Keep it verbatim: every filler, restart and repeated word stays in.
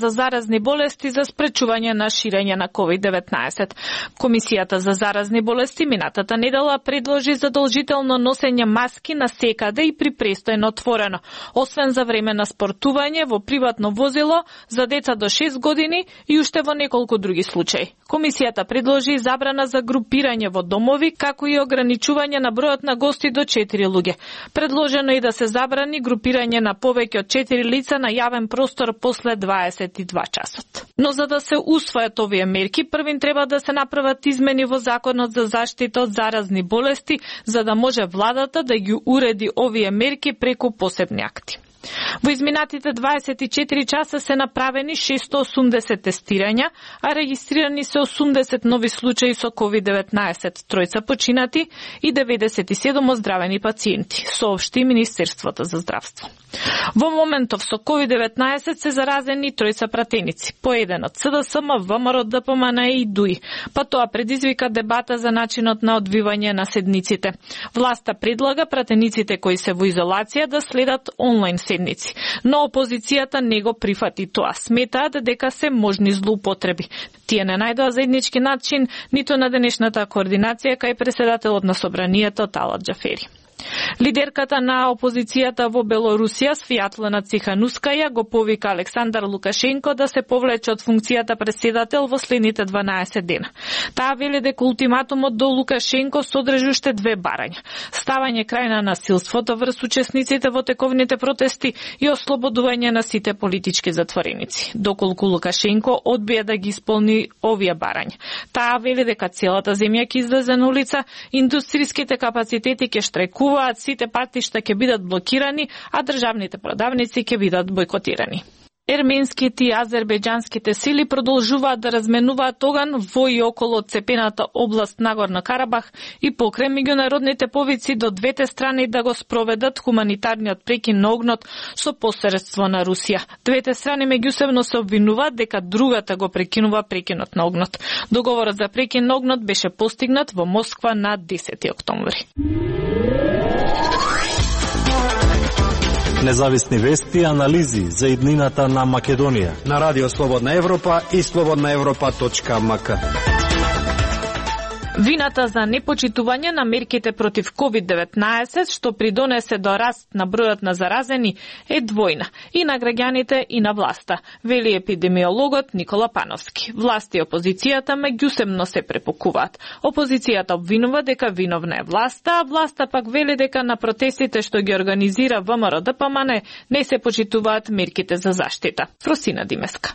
за заразни болести за спречување на ширење на ковид деветнаесет. Комисијата за заразни болести минатата недела предложи задолжително носење маски на секаде и при престојно отворено, освен за време на спортување во приватно возило за деца до шест години и уште во неколку други случаи. Комисијата предложи забрана за групирање во домови, како и ограничување на бројот на гости до четири луѓе. Предложено и да се забрани групирање на повеќе од четири лица на јавен простор после дваесет и два часот. Но за да се усвојат овие мерки, првин треба да се направат измени во Законот за заштита од заразни болести, за да може владата да ги уреди овие мерки преку посебни акти. Во изминатите дваесет и четири часа се направени шестоосумдесет тестирања, а регистрирани се осумдесет нови случаи со ковид деветнаесет, тројца починати и деветдесет и седум оздравени пациенти, соопшти Министерството за здравство. Во моментов со ковид деветнаесет се заразени тројца пратеници, по еден од СДСМ, ВМРО, ДПМН и ДУИ, па тоа предизвика дебата за начинот на одвивање на седниците. Власта предлага пратениците кои се во изолација да следат онлайн седници, но опозицијата не го прифати тоа. Сметаат дека се можни злоупотреби. Тие не најдоа заеднички начин ниту на денешната координација кај преседателот на собранието Талат Џафери. Лидерката на опозицијата во Белорусија, Свјатлана Циханускаја, го повика Александар Лукашенко да се повлече од функцијата преседател во следните дванаесет дена. Таа вели дека ултиматумот до Лукашенко содржи уште две барања: ставање крај на насилството врз учесниците во тековните протести и ослободување на сите политички затвореници. Доколку Лукашенко одбија да ги исполни овие барања, таа вели дека целата земја ќе излезе на улица, индустриските капацитети ќе штрајкуваат, сите патишта ќе бидат блокирани, а државните продавници ќе бидат бојкотирани. Ерменските и азербејџанските сили продолжуваат да разменуваат оган во и околу цепената област Нагорно Карабах и покрај меѓународните повици до двете страни да го спроведат хуманитарниот прекин на огнот со посредство на Русија. Двете страни меѓусебно се обвинуваат дека другата го прекинува прекинот на огнот. Договорот за прекин на огнот беше постигнат во Москва на десети октомври. Независни вести и анализи за иднината на Македонија на Радио Слободна Европа и слободна европа точка ем ка. Вината за непочитување на мерките против ковид деветнаесет, што придонесе до раст на бројот на заразени, е двојна и на граѓаните и на власта, вели епидемиологот Никола Пановски. Власта и опозицијата меѓусебно се препокуваат. Опозицијата обвинува дека виновна е власта, а власта пак вели дека на протестите што ги организира ВМРО ДПМН не се почитуваат мерките за заштита. Фросина Димеска.